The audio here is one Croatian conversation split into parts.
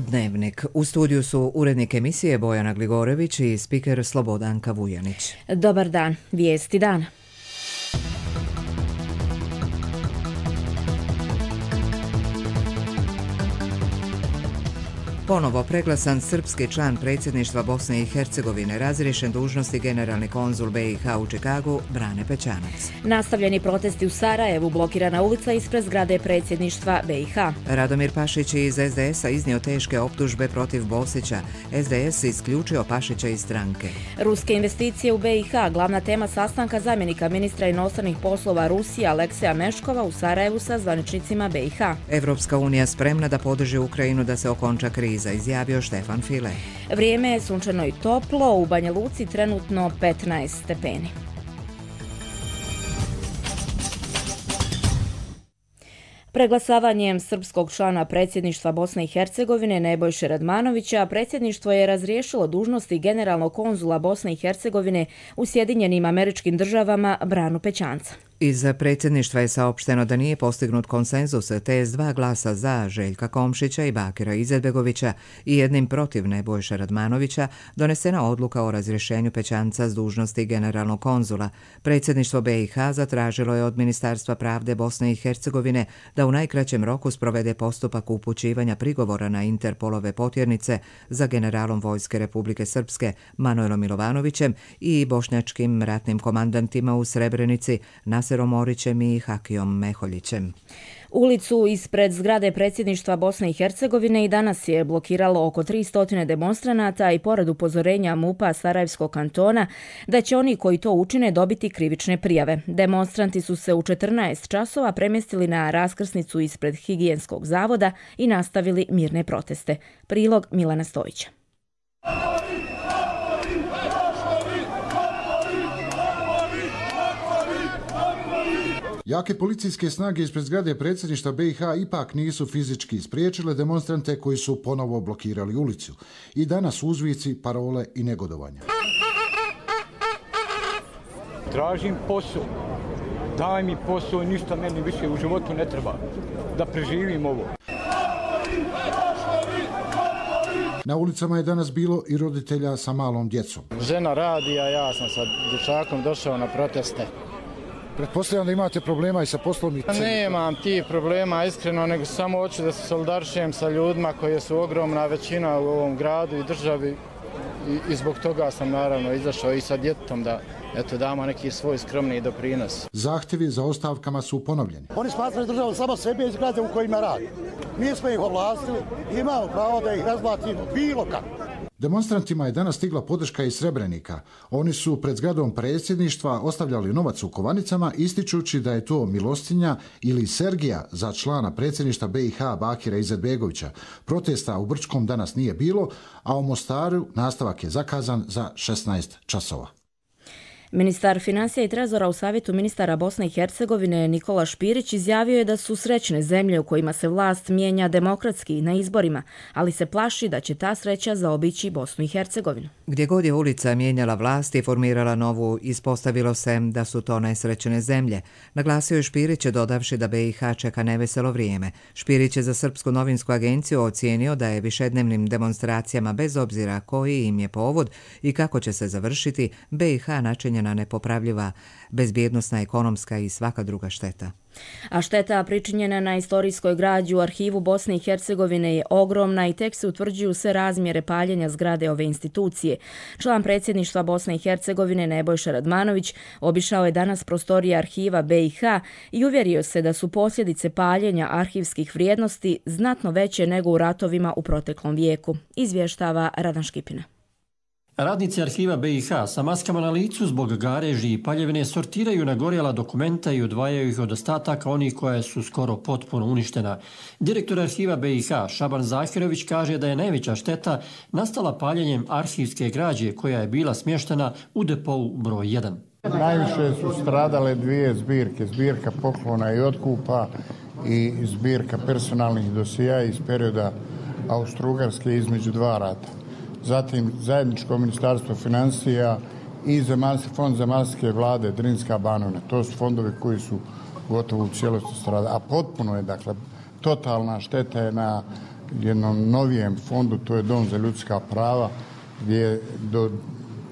Dnevnik. U studiju su urednik emisije Bojana Gligorević i spiker Slobodanka Vujanić. Dobar dan, vijesti dana. Ponovo preglasan srpski član predsjedništva Bosne i Hercegovine, razriješen dužnosti generalni konzul BiH u Čikagu, Brane Pećanac. Nastavljeni protesti u Sarajevu, blokirana ulica ispred zgrade predsjedništva BiH. Radomir Pašić iz SDS-a iznio teške optužbe protiv Bosića. SDS isključio Pašića iz stranke. Ruske investicije u BiH, glavna tema sastanka zamjenika ministra inostranih poslova Rusije Alekseja Meškova u Sarajevu sa zvaničnicima BiH. Evropska unija spremna da podrži Ukrajinu da se okonča kriza, izjavio Štefan File. Vrijeme je sunčano i toplo, u Banja Luci trenutno 15 stepeni. Preglasavanjem srpskog člana predsjedništva Bosne i Hercegovine Nebojše Radmanovića, predsjedništvo je razriješilo dužnosti generalnog konzula Bosne i Hercegovine u Sjedinjenim Američkim Državama Branu Pećanca. Iz predsjedništva je saopšteno da nije postignut konsenzus, te s 2 glasa za Željka Komšića i Bakira Izetbegovića i 1 protiv Nebojše Radmanovića donesena odluka o razrješenju Pećanca s dužnosti generalnog konzula. Predsjedništvo BiH zatražilo je od Ministarstva pravde Bosne i Hercegovine da u najkraćem roku sprovede postupak upućivanja prigovora na Interpolove potjernice za generalom Vojske Republike Srpske Manojlom Milovanovićem i bošnjačkim ratnim komandantima u Srebrenici Naserom Orićem i Hakijom Meholjićem. Ulicu ispred zgrade predsjedništva Bosne i Hercegovine i danas je blokiralo oko 300 demonstranata i pored upozorenja MUP-a Sarajevskog kantona da će oni koji to učine dobiti krivične prijave. Demonstranti su se u 14 časova premjestili na raskrsnicu ispred Higijenskog zavoda i nastavili mirne proteste. Prilog Milana Stojića. Jake policijske snage ispred zgrade predsjedništva BiH ipak nisu fizički spriječile demonstrante koji su ponovo blokirali ulicu. I danas uzvici, parole i negodovanja. Tražim posao. Daj mi posao, ništa meni više u životu ne treba. Da preživim ovo. Na ulicama je danas bilo i roditelja sa malom djecom. Žena radi, a ja sam sa dječakom došao na proteste. Pretpostavljam da imate problema i sa poslovnicom. Nemam ti problema, iskreno, nego samo hoću da se solidarišujem sa ljudima koji su ogromna većina u ovom gradu i državi i zbog toga sam naravno izašao i sa djetetom da damo neki svoj skromni doprinos. Zahtjevi za ostavkama su ponovljeni. Oni smatraju državu samo sebe i zgrade u kojima radi. Mi smo ih ovlastili i imamo pravo da ih razblatimo bilo kako. Demonstrantima je danas stigla podrška iz Srebrenika. Oni su pred zgradom predsjedništva ostavljali novac u kovanicama, ističući da je to milostinja ili Sergija za člana predsjedništva BiH Bakira Izetbegovića. Protesta u Brčkom danas nije bilo, a u Mostaru nastavak je zakazan za 16 časova. Ministar financija i trezora u Savjetu ministara Bosne i Hercegovine Nikola Špirić izjavio je da su srećne zemlje u kojima se vlast mijenja demokratski na izborima, ali se plaši da će ta sreća zaobići Bosnu i Hercegovinu. Gdje god je ulica mijenjala vlast i formirala novu, ispostavilo se da su to nesrećne zemlje. Naglasio je Špirić, dodavši da BiH čeka neveselo vrijeme. Špirić je za Srpsku novinsku agenciju ocijenio da je višednevnim demonstracijama, bez obzira koji im je povod i kako će se završiti, BiH načinjena nepopravljiva bezbjednosna, ekonomska i svaka druga šteta. A šteta pričinjena na istorijskoj građi u arhivu Bosne i Hercegovine je ogromna i tek se utvrđuju sve razmjere paljenja zgrade ove institucije. Član predsjedništva Bosne i Hercegovine Nebojša Radmanović obišao je danas prostorije arhiva BiH i uvjerio se da su posljedice paljenja arhivskih vrijednosti znatno veće nego u ratovima u proteklom vijeku, izvještava Radan Škipina. Radnici arhiva BiH sa maskama na licu zbog gareži i paljevine sortiraju nagorjela dokumenta i odvajaju ih od ostataka onih koja su skoro potpuno uništena. Direktor arhiva BiH Šaban Zahirović kaže da je najveća šteta nastala paljenjem arhivske građe koja je bila smještena u depou broj 1. Najviše su stradale 2 zbirke, zbirka poklona i otkupa i zbirka personalnih dosija iz perioda Austro-Ugarske između 2 rata. Zatim zajedničko ministarstvo financija i fond zemaljske vlade Drinska Banovina. To su fondovi koji su gotovo u cijelosti stradali. A potpuno je, dakle, totalna šteta je jednom novijem fondu, to je Dom za ljudska prava, gdje je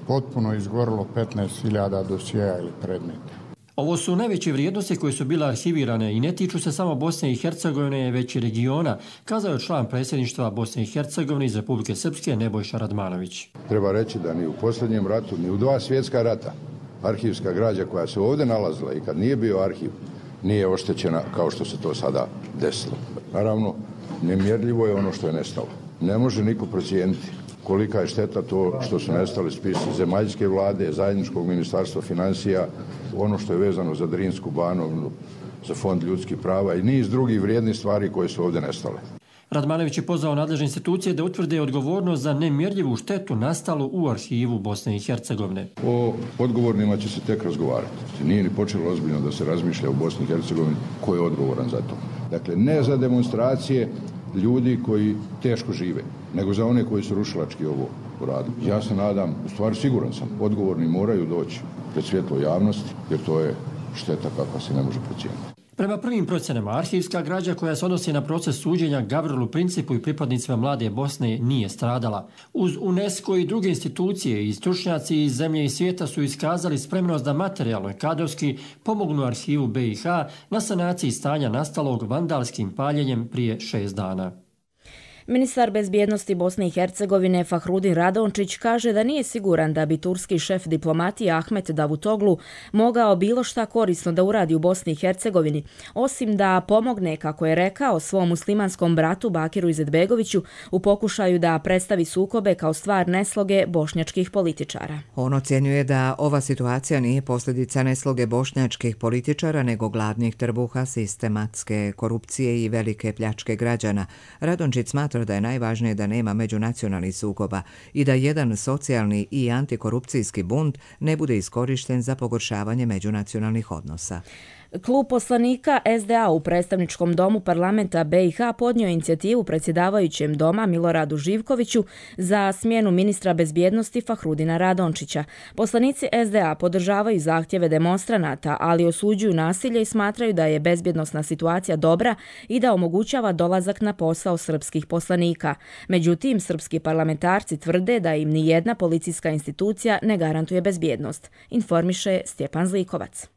potpuno izgorilo 15.000 dosjea ili predmeta. Ovo su najveće vrijednosti koje su bile arhivirane i ne tiču se samo Bosne i Hercegovine, već i regiona, kazao je član predsjedništva Bosne i Hercegovine iz Republike Srpske Nebojša Radmanović. Treba reći da ni u posljednjem ratu, ni u 2 svjetska rata arhivska građa koja se ovdje nalazila i kad nije bio arhiv, nije oštećena kao što se to sada desilo. Naravno, nemjerljivo je ono što je nestalo. Ne može niko procijeniti kolika je šteta to što su nestali spisi zemaljske vlade, zajedničkog ministarstva financija, ono što je vezano za Drinsku Banovinu, za Fond ljudskih prava i niz drugih vrijednih stvari koje su ovdje nestale. Radmanović je pozvao nadležne institucije da utvrde odgovornost za nemjerljivu štetu nastalu u arhivu Bosne i Hercegovine. O odgovornima će se tek razgovarati. Nije ni počelo ozbiljno da se razmišlja u Bosni i Hercegovini ko je odgovoran za to. Dakle, ne za demonstracije ljudi koji teško žive, nego za one koji su rušilački ovo uradili. Ja se nadam, u stvari siguran sam, odgovorni moraju doći pred svjetlo javnosti, jer to je šteta kakva se ne može procijeniti. Prema prvim procjenama, arhivska građa koja se odnosi na proces suđenja Gavrilu Principu i pripadnicima Mlade Bosne nije stradala. Uz UNESCO i druge institucije i stručnjaci iz zemlje i svijeta su iskazali spremnost da materijalno i kadrovski pomognu arhivu BiH na sanaciji stanja nastalog vandalskim paljenjem prije 6 dana. Ministar bezbjednosti Bosne i Hercegovine Fahrudin Radončić kaže da nije siguran da bi turski šef diplomatije Ahmet Davutoglu mogao bilo šta korisno da uradi u Bosni i Hercegovini, osim da pomogne, kako je rekao, svom muslimanskom bratu Bakiru Izetbegoviću u pokušaju da predstavi sukobe kao stvar nesloge bošnjačkih političara. On ocjenjuje da ova situacija nije posljedica nesloge bošnjačkih političara, nego gladnih trbuha, sistematske korupcije i velike pljačke građana. Radončić smatra da je najvažnije da nema međunacionalnih sukoba i da jedan socijalni i antikorupcijski bunt ne bude iskorišten za pogoršavanje međunacionalnih odnosa. Klub poslanika SDA u predstavničkom domu parlamenta BiH podnio inicijativu predsjedavajućem doma Miloradu Živkoviću za smjenu ministra bezbjednosti Fahrudina Radončića. Poslanici SDA podržavaju zahtjeve demonstranata, ali osuđuju nasilje i smatraju da je bezbjednosna situacija dobra i da omogućava dolazak na posao srpskih poslanika. Međutim, srpski parlamentarci tvrde da im ni jedna policijska institucija ne garantuje bezbjednost, informiše Stjepan Zlikovac.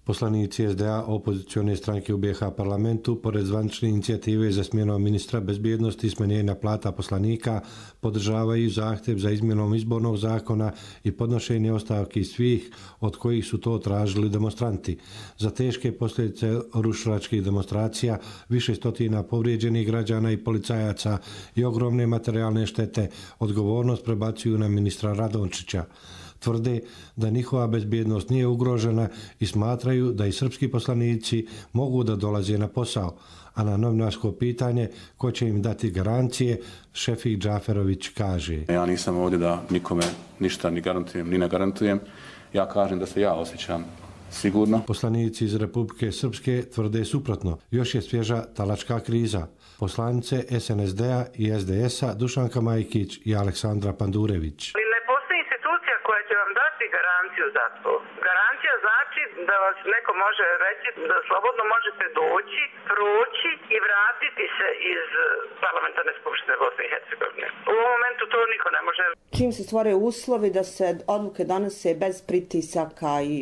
Poslanici SDA opozicione stranke u BiH parlamentu, pored zvanične inicijative za smjenom ministra bezbjednosti i smanjenja plata poslanika, podržavaju zahtjev za izmjenom izbornog zakona i podnošenje ostavki svih od kojih su to tražili demonstranti. Za teške posljedice rušilačkih demonstracija, više stotina povrijeđenih građana i policajaca i ogromne materijalne štete odgovornost prebacuju na ministra Radončića. Tvrde da njihova bezbjednost nije ugrožena i smatraju da i srpski poslanici mogu da dolaze na posao, a na novinarsko pitanje ko će im dati garancije, Šefik Džaferović kaže: Ja nisam ovdje da nikome ništa ni garantujem, ni ne garantujem. Ja kažem da se ja osjećam sigurno. Poslanici iz Republike Srpske tvrde suprotno. Još je svježa talačka kriza. Poslanice SNSD-a i SDS-a Dušanka Majkić i Aleksandra Pandurević. Za to. Garancija znači da vas neko može reći da slobodno možete doći, proći i vratiti se iz parlamentarne skupštine Bosne i Hercegovine. U ovom momentu to niko ne može. Čim se stvore uslovi da se odluke donose bez pritisaka i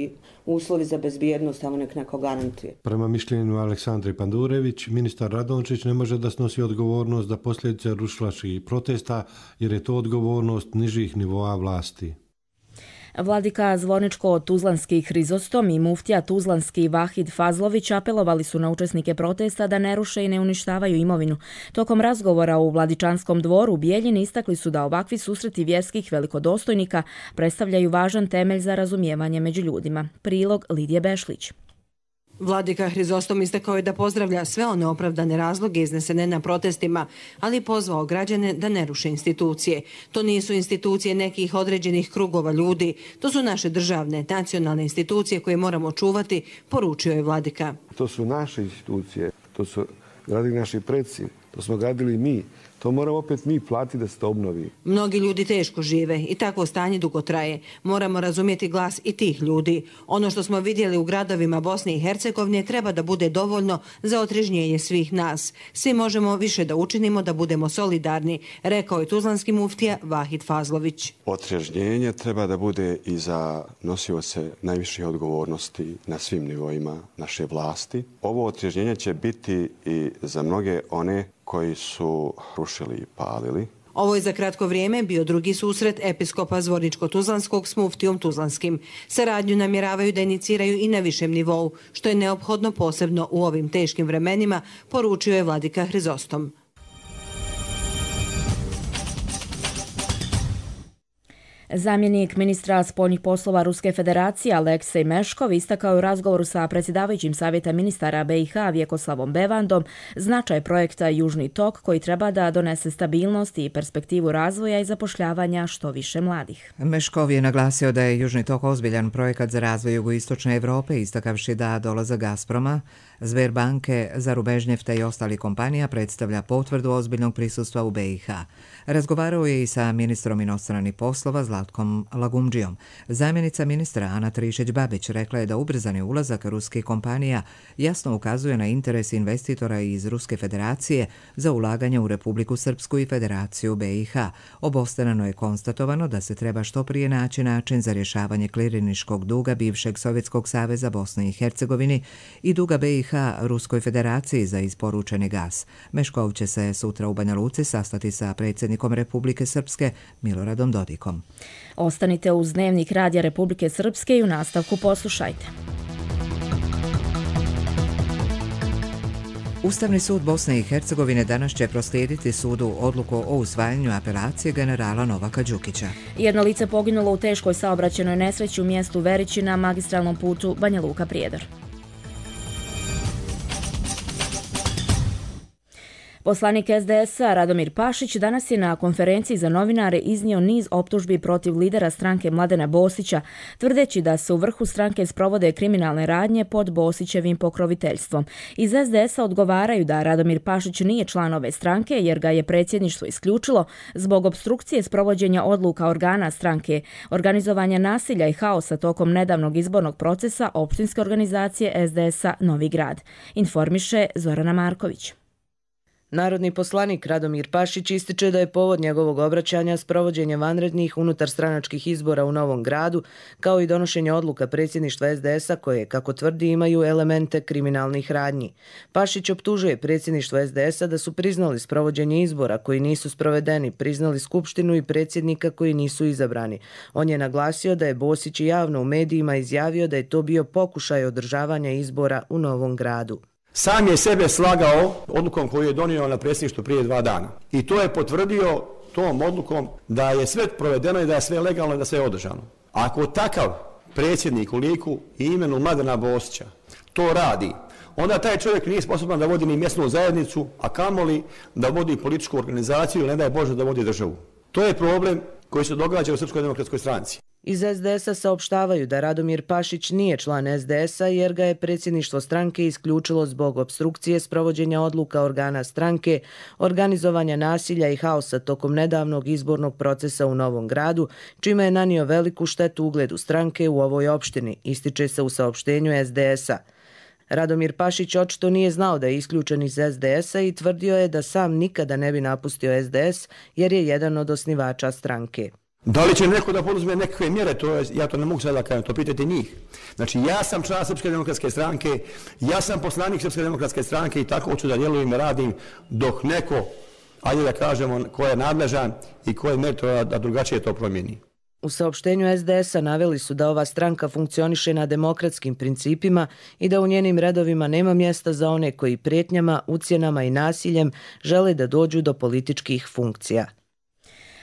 uslovi za bezbjednost, tamo nek neko garantuje. Prema mišljenju Aleksandre Pandurević, ministar Radončić ne može da snosi odgovornost za posljedice rušilačkih protesta, jer je to odgovornost nižih nivoa vlasti. Vladika Zvorničko-Tuzlanski Hrizostom i muftija Tuzlanski Vahid Fazlović apelovali su na učesnike protesta da ne ruše i ne uništavaju imovinu. Tokom razgovora u Vladičanskom dvoru u Bijeljini istakli su da ovakvi susreti vjerskih velikodostojnika predstavljaju važan temelj za razumijevanje među ljudima. Prilog Lidije Bešlić. Vladika Hrizostom istakao je da pozdravlja sve one opravdane razloge iznesene na protestima, ali pozvao građane da ne ruše institucije. To nisu institucije nekih određenih krugova ljudi, to su naše državne, nacionalne institucije koje moramo čuvati, poručio je vladika. To su naše institucije, to su gradili naši preci, to smo gradili mi, To moramo opet mi platiti da se to obnovi. Mnogi ljudi teško žive i takvo stanje dugo traje. Moramo razumjeti glas i tih ljudi. Ono što smo vidjeli u gradovima Bosne i Hercegovine treba da bude dovoljno za otrežnjenje svih nas. Svi možemo više da učinimo, da budemo solidarni, rekao je tuzlanski muftija Vahid Fazlović. Otrežnjenje treba da bude i za nosioce najviših odgovornosti na svim nivoima naše vlasti. Ovo otrežnjenje će biti i za mnoge one koji su rušili i palili. Ovo je za kratko vrijeme bio drugi susret episkopa Zvorničko-Tuzlanskog s muftijom Tuzlanskim. Saradnju namjeravaju da iniciraju i na višem nivou, što je neophodno posebno u ovim teškim vremenima, poručio je vladika Hrizostom. Zamjenik ministra spoljnih poslova Ruske federacije Aleksej Meškov istakao je u razgovoru sa predsjedavajućim savjeta ministara BiH Vjekoslavom Bevandom značaj projekta Južni tok koji treba da donese stabilnost i perspektivu razvoja i zapošljavanja što više mladih. Meškov je naglasio da je Južni tok ozbiljan projekat za razvoj jugoistočne Evrope, istakavši da dolazak Gazproma, Sberbanke, Zarubežnjefta i ostalih kompanija predstavlja potvrdu ozbiljnog prisustva u BiH. Razgovarao je i sa ministrom inostranih poslova Zlatkom Lagumdžijom. Zamjenica ministra Ana Trišić-Babić rekla je da ubrzani ulazak ruskih kompanija jasno ukazuje na interes investitora iz Ruske federacije za ulaganje u Republiku Srpsku i Federaciju BiH. Obostrano je konstatovano da se treba što prije naći način za rješavanje kliriniškog duga bivšeg Sovjetskog saveza Bosne i Hercegovini i duga BiH Ruskoj federaciji za isporučeni gas. Meškov će se sutra u Banja Luci sastati sa predsjednikom Republike Srpske Miloradom Dodikom. Ostanite uz Dnevnik Radija Republike Srpske i u nastavku poslušajte. Ustavni sud Bosne i Hercegovine danas će proslijediti sudu odluku o usvajanju apelacije generala Novaka Đukića. Jedno lice poginulo u teškoj saobraćajnoj nesreći u mjestu Verići na magistralnom putu Banja Luka-Prijedor. Poslanik SDS-a Radomir Pašić danas je na konferenciji za novinare iznio niz optužbi protiv lidera stranke Mladena Bosića, tvrdeći da se u vrhu stranke sprovode kriminalne radnje pod Bosićevim pokroviteljstvom. Iz SDS-a odgovaraju da Radomir Pašić nije član ove stranke jer ga je predsjedništvo isključilo zbog opstrukcije sprovođenja odluka organa stranke, organizovanja nasilja i haosa tokom nedavnog izbornog procesa opštinske organizacije SDS-a Novi Grad. Informiše Zorana Marković. Narodni poslanik Radomir Pašić ističe da je povod njegovog obraćanja sprovođenje vanrednih unutarstranačkih izbora u Novom Gradu, kao i donošenje odluka predsjedništva SDS-a koje, kako tvrdi, imaju elemente kriminalnih radnji. Pašić optužuje predsjedništvo SDS-a da su priznali sprovođenje izbora koji nisu sprovedeni, priznali skupštinu i predsjednika koji nisu izabrani. On je naglasio da je Bosić javno u medijima izjavio da je to bio pokušaj održavanja izbora u Novom Gradu. Sam je sebe slagao odlukom koju je donio na predsjedništvu prije 2 dana. I to je potvrdio tom odlukom da je sve provedeno i da je sve legalno i da sve je održano. Ako takav predsjednik u liku i imenu Mladena Bosića to radi, onda taj čovjek nije sposoban da vodi ni mjesnu zajednicu, a kamoli da vodi političku organizaciju ili ne daj Bože da vodi državu. To je problem koji se događa u Srpskoj demokratskoj stranci. Iz SDS-a saopštavaju da Radomir Pašić nije član SDS-a jer ga je predsjedništvo stranke isključilo zbog opstrukcije sprovođenja odluka organa stranke, organizovanja nasilja i haosa tokom nedavnog izbornog procesa u Novom Gradu, čime je nanio veliku štetu ugledu stranke u ovoj opštini, ističe se u saopštenju SDS-a. Radomir Pašić očito nije znao da je isključen iz SDS-a i tvrdio je da sam nikada ne bi napustio SDS jer je jedan od osnivača stranke. Da li će neko da poduzme nekakve mjere, ja to ne mogu sada kažem, to pitajte njih. Znači, ja sam član Srpske demokratske stranke, ja sam poslanik Srpske demokratske stranke i tako hoću da djelujem i radim dok neko, ajde da kažemo, ko je nadležan i ko je meritor da drugačije to promijeni. U saopštenju SDS-a naveli su da ova stranka funkcioniše na demokratskim principima i da u njenim redovima nema mjesta za one koji prijetnjama, ucjenama i nasiljem žele da dođu do političkih funkcija.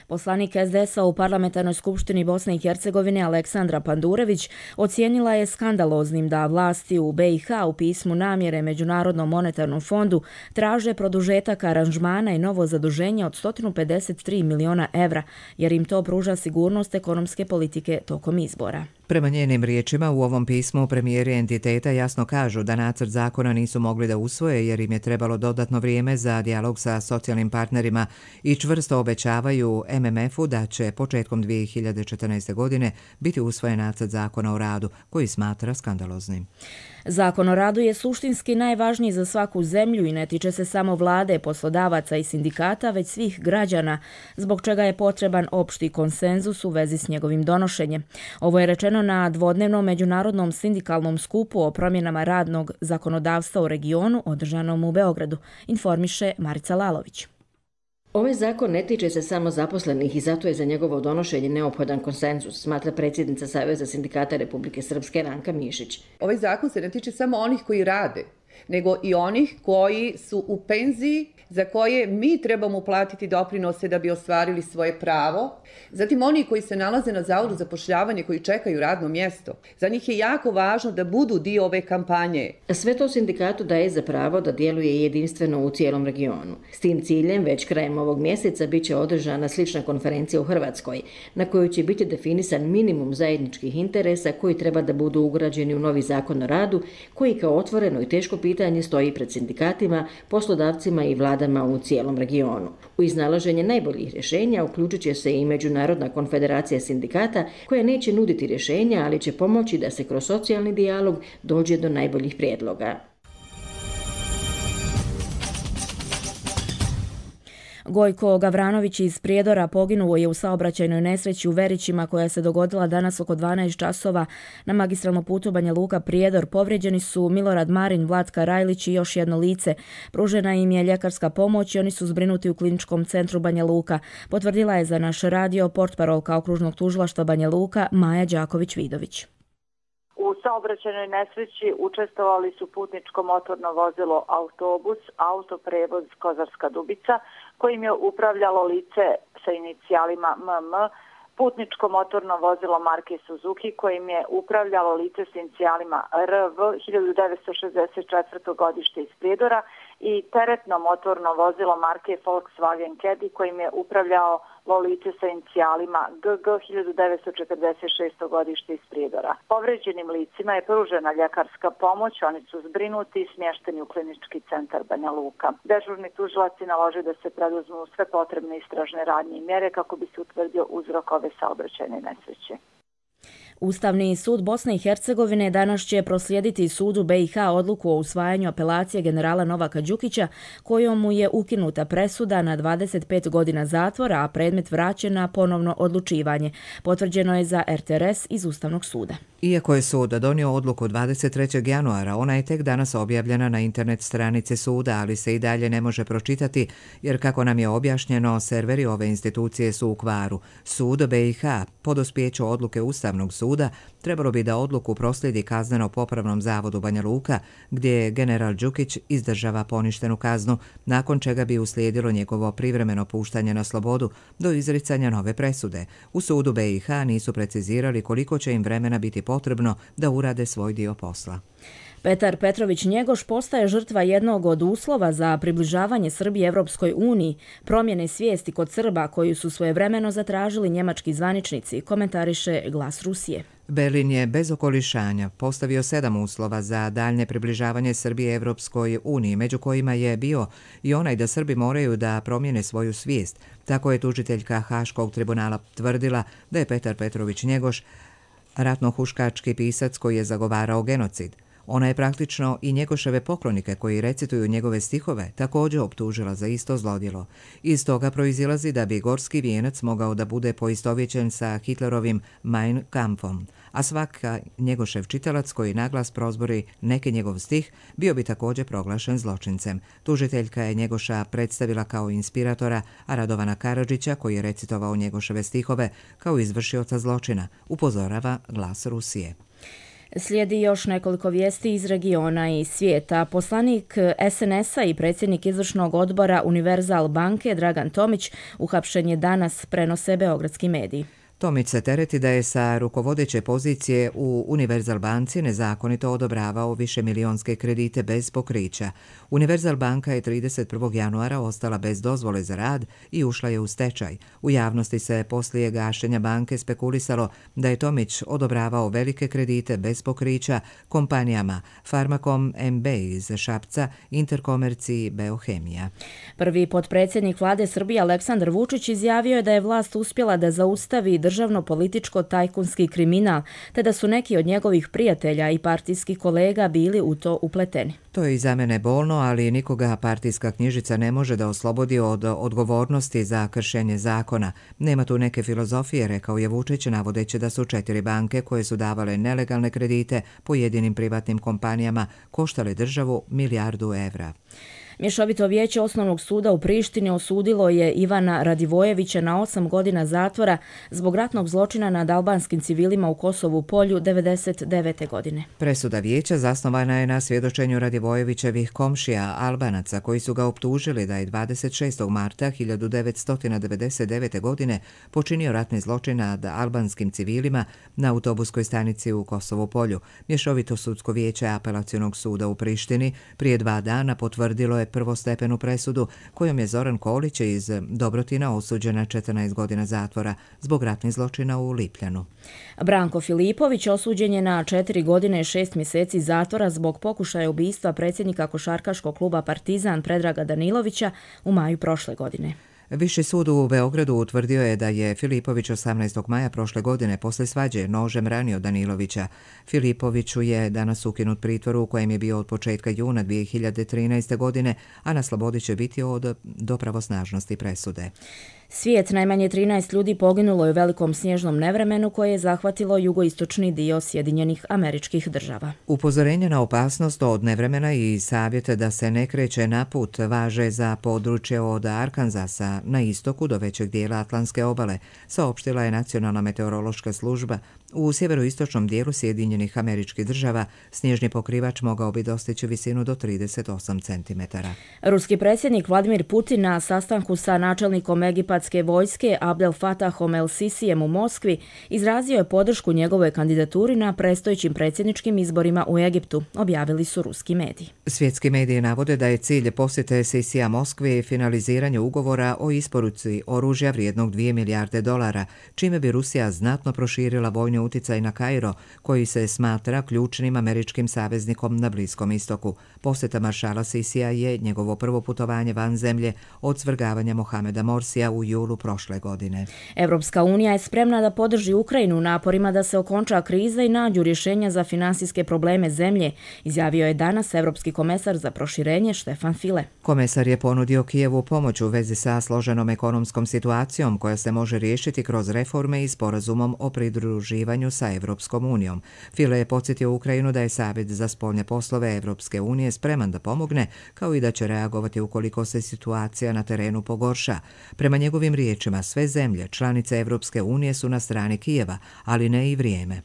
Poslanik SDS-a u Parlamentarnoj skupštini Bosne i Hercegovine Aleksandra Pandurević ocijenila je skandaloznim da vlasti u BiH u pismu namjere Međunarodnom monetarnom fondu traže produžetak aranžmana i novo zaduženje od 153 miliona evra, jer im to pruža sigurnost ekonomske politike tokom izbora. Prema njenim riječima, u ovom pismu premijeri entiteta jasno kažu da nacrt zakona nisu mogli da usvoje jer im je trebalo dodatno vrijeme za dijalog sa socijalnim partnerima i čvrsto obećavaju MMF-u da će početkom 2014. godine biti usvojen nacrt zakona o radu, koji smatra skandaloznim. Zakon o radu je suštinski najvažniji za svaku zemlju i ne tiče se samo vlade, poslodavaca i sindikata, već svih građana, zbog čega je potreban opšti konsenzus u vezi s njegovim donošenjem. Ovo je rečeno na dvodnevnom međunarodnom sindikalnom skupu o promjenama radnog zakonodavstva u regionu održanom u Beogradu, informiše Marica Lalović. Ovaj zakon ne tiče se samo zaposlenih i zato je za njegovo donošenje neophodan konsenzus, smatra predsjednica Saveza sindikata Republike Srpske Ranka Mišić. Ovaj zakon se ne tiče samo onih koji rade, nego i onih koji su u penziji, za koje mi trebamo uplatiti doprinose da bi ostvarili svoje pravo. Zatim oni koji se nalaze na Zavodu za zapošljavanje, koji čekaju radno mjesto. Za njih je jako važno da budu dio ove kampanje. Sve to sindikatu daje za pravo da djeluje jedinstveno u cijelom regionu. S tim ciljem već krajem ovog mjeseca bit će održana slična konferencija u Hrvatskoj, na kojoj će biti definisan minimum zajedničkih interesa koji treba da budu ugrađeni u novi zakon o radu, koji kao otvoreno i teško pitanje stoji pred sindikatima, poslodavcima i vladama u cijelom regionu. U iznalaženje najboljih rješenja uključit će se i Međunarodna konfederacija sindikata, koja neće nuditi rješenja, ali će pomoći da se kroz socijalni dijalog dođe do najboljih prijedloga. Gojko Gavranović iz Prijedora poginuo je u saobraćajnoj nesreći u Verićima koja se dogodila danas oko 12 časova na magistralnom putu Banja Luka Prijedor. Povrijeđeni su Milorad Marin, Vlatka Rajlić i još jedno lice. Pružena im je ljekarska pomoć i oni su zbrinuti u kliničkom centru Banja Luka. Potvrdila je za naš radio portparolka okružnog tužilaštva Banja Luka Maja Đaković-Vidović. U saobraćajnoj nesreći učestvovali su putničko motorno vozilo autobus, autoprevoz Kozarska Dubica, kojim je upravljalo lice sa inicijalima MM, putničko motorno vozilo marke Suzuki, kojim je upravljalo lice sa inicijalima RV 1964. godište iz Prijedora i teretno motorno vozilo marke Volkswagen Caddy, kojim je upravljao lice sa inicijalima GG 1946. godište iz Prijedora. Povređenim licima je pružena ljekarska pomoć, oni su zbrinuti i smješteni u klinički centar Banja Luka. Dežurni tužilaci nalože da se preduzmu sve potrebne istražne radnje i mjere kako bi se utvrdio uzrok ove saobraćajne nesreće. Ustavni sud Bosne i Hercegovine danas će proslijediti sudu BiH odluku o usvajanju apelacije generala Novaka Đukića, kojom mu je ukinuta presuda na 25 godina zatvora, a predmet vraćen na ponovno odlučivanje. Potvrđeno je za RTRS iz Ustavnog suda. Iako je sud donio odluku 23. januara, ona je tek danas objavljena na internet stranici suda, ali se i dalje ne može pročitati, jer kako nam je objašnjeno, serveri ove institucije su u kvaru. Sud BiH po dospijeću odluke Ustavnog suda trebalo bi da odluku proslijedi Kazneno-popravnom zavodu Banja Luka, gdje general Đukić izdržava poništenu kaznu, nakon čega bi uslijedilo njegovo privremeno puštanje na slobodu do izricanja nove presude. U sudu BiH nisu precizirali koliko će im vremena biti potrebno da urade svoj dio posla. Petar Petrović Njegoš postaje žrtva jednog od uslova za približavanje Srbije Evropskoj uniji, promjene svijesti kod Srba koju su svojevremeno zatražili njemački zvaničnici, komentariše Glas Rusije. Berlin je bez okolišanja postavio 7 uslova za daljnje približavanje Srbije Evropskoj uniji, među kojima je bio i onaj da Srbi moraju da promijene svoju svijest. Tako je tužiteljka Haškog tribunala tvrdila da je Petar Petrović Njegoš ratnohuškački pisac koji je zagovarao genocid. Ona je praktično i Njegoševe poklonike koji recituju njegove stihove također optužila za isto zlodjelo. Iz toga proizilazi da bi gorski vijenac mogao da bude poistovjećen sa Hitlerovim Mein Kampfom, a svaka Njegošev čitalac koji naglas prozbori neki njegov stih bio bi također proglašen zločincem. Tužiteljka je Njegoša predstavila kao inspiratora, a Radovana Karadžića, koji je recitovao Njegoševe stihove, kao izvršioca zločina, upozorava Glas Rusije. Slijedi još nekoliko vijesti iz regiona i svijeta. Poslanik SNS-a i predsjednik izvršnog odbora Univerzal banke Dragan Tomić uhapšen je danas, prenose beogradski mediji. Tomić se tereti da je sa rukovodeće pozicije u Univerzal banci nezakonito odobravao višemilijonske kredite bez pokrića. Univerzal banka je 31. januara ostala bez dozvole za rad i ušla je u stečaj. U javnosti se poslije gašenja banke spekulisalo da je Tomić odobravao velike kredite bez pokrića kompanijama Farmakom MB iz Šapca, Interkomerci i Beohemija. Prvi potpredsjednik vlade Srbije Aleksandar Vučić izjavio je da je vlast uspjela da zaustavi državno-političko-tajkunski kriminal, te da su neki od njegovih prijatelja i partijskih kolega bili u to upleteni. To je i za mene bolno, ali nikoga partijska knjižica ne može da oslobodi od odgovornosti za kršenje zakona. Nema tu neke filozofije, rekao je Vučić, navodeći da su 4 banke koje su davale nelegalne kredite pojedinim privatnim kompanijama koštale državu milijardu evra. Mješovito vijeće Osnovnog suda u Prištini osudilo je Ivana Radivojevića na 8 godina zatvora zbog ratnog zločina nad albanskim civilima u Kosovu Polju 1999. godine. Presuda vijeća zasnovana je na svjedočenju Radivojevićevih komšija Albanaca koji su ga optužili da je 26. marta 1999. godine počinio ratni zločin nad albanskim civilima na autobuskoj stanici u Kosovu Polju. Mješovito sudsko vijeće Apelacionog suda u Prištini prije 2 dana potvrdilo je prvostepenu presudu kojom je Zoran Kolić iz Dobrotina osuđen na 14 godina zatvora zbog ratnih zločina u Lipljanu. Branko Filipović osuđen je na 4 godine i 6 mjeseci zatvora zbog pokušaja ubistva predsjednika košarkaškog kluba Partizan Predraga Danilovića u maju prošle godine. Viši sud u Beogradu utvrdio je da je Filipović 18. maja prošle godine posle svađe nožem ranio Danilovića. Filipoviću je danas ukinut pritvor u kojem je bio od početka juna 2013. godine, a na slobodi će biti do pravosnažnosti presude. Svijet, najmanje 13 ljudi poginulo je u velikom snježnom nevremenu koje je zahvatilo jugoistočni dio Sjedinjenih Američkih Država. Upozorenje na opasnost od nevremena i savjet da se ne kreće na put važe za područje od Arkanzasa na istoku do većeg dijela Atlantske obale, saopštila je Nacionalna meteorološka služba. U sjeveroistočnom dijelu Sjedinjenih Američkih Država snježni pokrivač mogao bi dostići visinu do 38 cm. Ruski predsjednik Vladimir Putin na sastanku sa načelnikom egipatske vojske Abdel Fatahom el-Sisijem u Moskvi izrazio je podršku njegovoj kandidaturi na predstojećim predsjedničkim izborima u Egiptu, objavili su ruski mediji. Svjetski mediji navode da je cilj posjete Sisija Moskvi finaliziranje ugovora o isporuci oružja vrijednog $2 milijarde, čime bi Rusija znatno proširila vojni uticaj na Kairo, koji se smatra ključnim američkim saveznikom na Bliskom istoku. Posjeta maršala Sisija je njegovo prvo putovanje van zemlje od svrgavanja Mohameda Morsija u julu prošle godine. Evropska unija je spremna da podrži Ukrajinu u naporima da se okonča kriza i nađu rješenja za finansijske probleme zemlje, izjavio je danas Evropski komesar za proširenje Štefan File. Komesar je ponudio Kijevu pomoć u vezi sa složenom ekonomskom situacijom koja se može riješiti kroz reforme i sporazumom o pridruživanju sa Evropskom unijom. File je podsjetio Ukrajinu da je Savjet za spoljne poslove Evropske unije spreman da pomogne, kao i da će reagovati ukoliko se situacija na terenu pogorša. Prema njegovim riječima, sve zemlje, članice Evropske unije su na strani Kijeva, ali ne i vrijeme.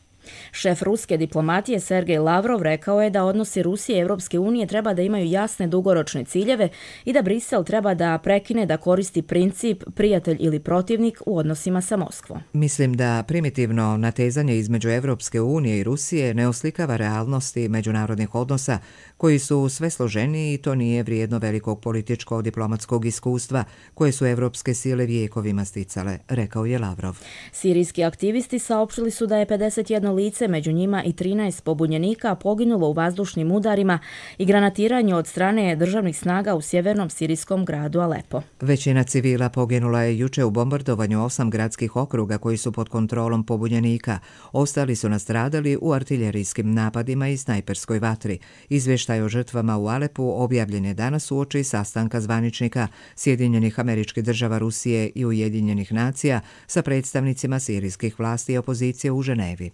Šef ruske diplomatije Sergej Lavrov rekao je da odnosi Rusije i Evropske unije treba da imaju jasne dugoročne ciljeve i da Brisel treba da prekine da koristi princip prijatelj ili protivnik u odnosima sa Moskvom. Mislim da primitivno natezanje između Evropske unije i Rusije ne oslikava realnosti međunarodnih odnosa koji su sve složeniji i to nije vrijedno velikog političko-diplomatskog iskustva koje su evropske sile vijekovima sticale, rekao je Lavrov. Sirijski aktivisti saopštili su da je 51 lice, među njima i 13 pobunjenika, poginulo u vazdušnim udarima i granatiranju od strane državnih snaga u sjevernom sirijskom gradu Alepo. Većina civila poginula je juče u bombardovanju 8 gradskih okruga koji su pod kontrolom pobunjenika. Ostali su nastradali u artiljerijskim napadima i snajperskoj vatri. Izvještaj o žrtvama u Alepu objavljen je danas uoči sastanka zvaničnika Sjedinjenih Američkih Država, Rusije i Ujedinjenih nacija sa predstavnicima sirijskih vlasti i opozicije u Ženevi.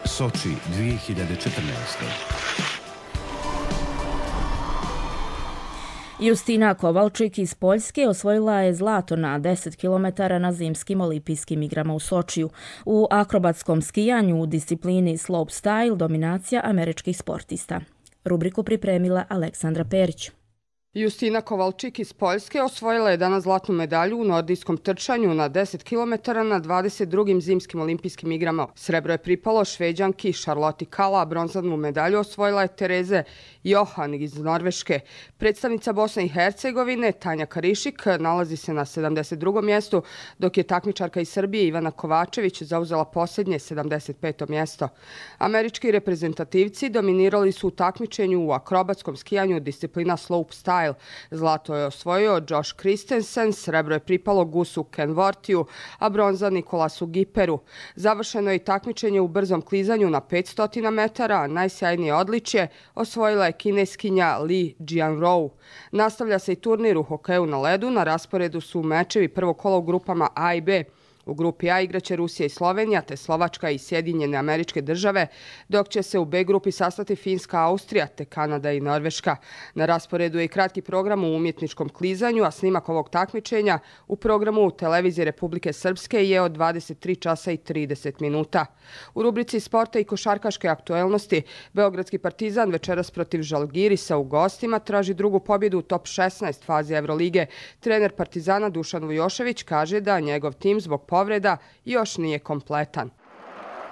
Soči 2014. Justina Kovalčik iz Poljske osvojila je zlato na 10 km na zimskim olimpijskim igrama u Sočiju. U akrobatskom skijanju u disciplini slopestyle dominacija američkih sportista. Rubriku pripremila Aleksandra Perić. Justina Kovalčik iz Poljske osvojila je danas zlatnu medalju u nordijskom trčanju na 10 km na 22. zimskim olimpijskim igrama. Srebro je pripalo Šveđanki Charlotte Kalla, a bronzanu medalju osvojila je Tereze Johan iz Norveške. Predstavnica Bosne i Hercegovine Tanja Karišik nalazi se na 72. mjestu, dok je takmičarka iz Srbije Ivana Kovačević zauzela posljednje 75. mjesto. Američki reprezentativci dominirali su u takmičenju u akrobatskom skijanju disciplina slopestyle. Zlato je osvojio Josh Christensen, srebro je pripalo Gusu Kenvortiju, a bronza Nikolasu Giperu. Završeno je i takmičenje u brzom klizanju na 500 metara, a najsjajnije odličje osvojila je kineskinja Li Jianrou. Nastavlja se i turnir u hokeju na ledu, na rasporedu su mečevi prvog kola u grupama A i B. U grupi A igraće Rusija i Slovenija, te Slovačka i Sjedinjene Američke Države, dok će se u B grupi sastati Finska, Austrija, te Kanada i Norveška. Na rasporedu je i kratki program u umjetničkom klizanju, a snimak ovog takmičenja u programu Televizije Republike Srpske je od 23 časa i 30 minuta. U rubrici sporta i košarkaške aktuelnosti, Beogradski Partizan večeras protiv Žalgirisa u gostima traži drugu pobjedu u top 16 fazi Evrolige. Trener Partizana Dušan Vujošević kaže da njegov tim zbog povreda još nije kompletan.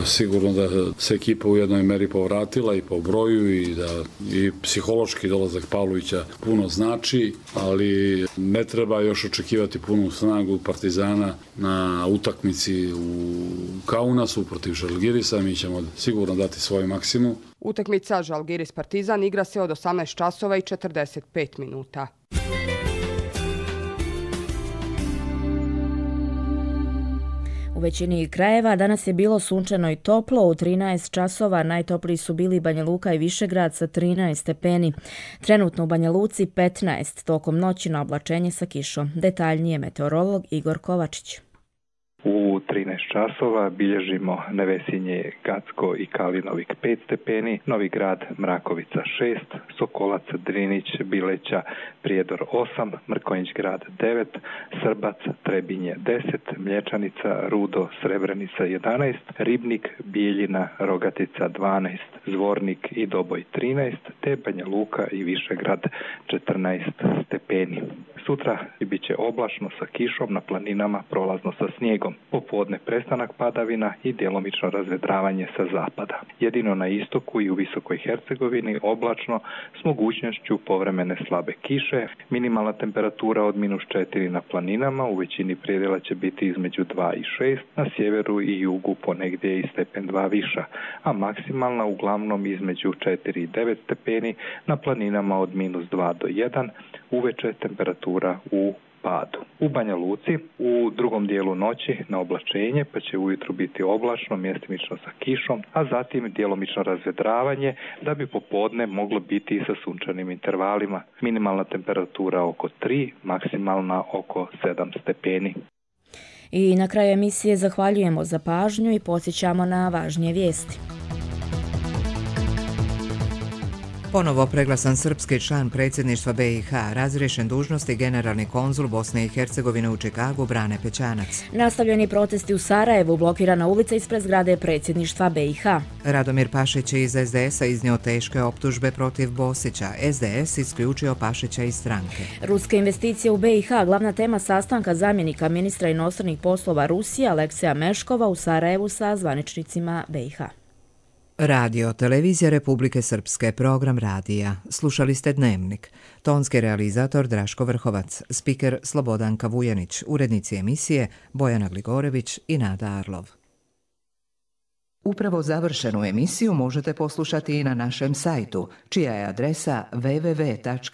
Sigurno da se ekipa u jednoj meri povratila i po broju i da i psihološki dolazak Pavlovića puno znači, ali ne treba još očekivati punu snagu Partizana na utakmici u Kaunasu protiv Žalgirisa. Mi ćemo sigurno dati svoj maksimum. Utakmica Žalgiris Partizan igra se od 18 časova i 45 minuta. U većini krajeva danas je bilo sunčano i toplo, u 13 časova najtopliji su bili Banja Luka i Višegrad sa 13 stepeni. Trenutno u Banja Luci 15, tokom noći na oblačenje sa kišom. Detaljnije meteorolog Igor Kovačić. U 13 časova bilježimo Nevesinje, Gacko i Kalinovik 5 stepeni, Novi Grad, Mrakovica 6, Sokolac, Drinić, Bileća, Prijedor 8, Mrkonjić grad 9, Srbac, Trebinje 10, Mlječanica, Rudo, Srebrenica 11, Ribnik, Bijeljina, Rogatica 12, Zvornik i Doboj 13, te Banja Luka i Višegrad 14 stepeni. Sutra bit će oblačno sa kišom, na planinama prolazno sa snijegom. Popodne prestanak padavina i djelomično razvedravanje sa zapada. Jedino na istoku i u Visokoj Hercegovini oblačno s mogućnošću povremene slabe kiše. Minimalna temperatura od -4 na planinama, u većini predjela će biti između 2 i 6, na sjeveru i jugu ponegdje i stepen 2 viša, a maksimalna uglavnom između 4 i 9 stepeni, na planinama od -2 do 1, uveče temperatura u padu. U Banja Luci u drugom dijelu noći na oblačenje, pa će ujutro biti oblačno, mjestimično sa kišom, a zatim djelomično razvedravanje, da bi popodne moglo biti sa sunčanim intervalima. Minimalna temperatura oko 3, maksimalna oko 7 stepeni. I na kraju emisije zahvaljujemo za pažnju i podsjećamo na važnije vijesti. Ponovo preglasan srpski član predsjedništva BiH, razriješen dužnosti generalni konzul Bosne i Hercegovine u Čikagu Brane Pećanac. Nastavljeni protesti u Sarajevu, blokirana ulica ispred zgrade predsjedništva BiH. Radomir Pašić iz SDS-a iznio teške optužbe protiv Bosića. SDS isključio Pašića iz stranke. Ruske investicije u BiH, glavna tema sastanka zamjenika ministra inostranih poslova Rusije Alekseja Meškova u Sarajevu sa zvaničnicima BiH. Radio, televizija Republike Srpske, program radija. Slušali ste Dnevnik. Tonski realizator Draško Vrhovac, spiker Slobodanka Vujanić, urednici emisije Bojana Gligorević i Nada Arlov. Upravo završenu emisiju možete poslušati i na našem sajtu, čija je adresa www.rtrs.tv.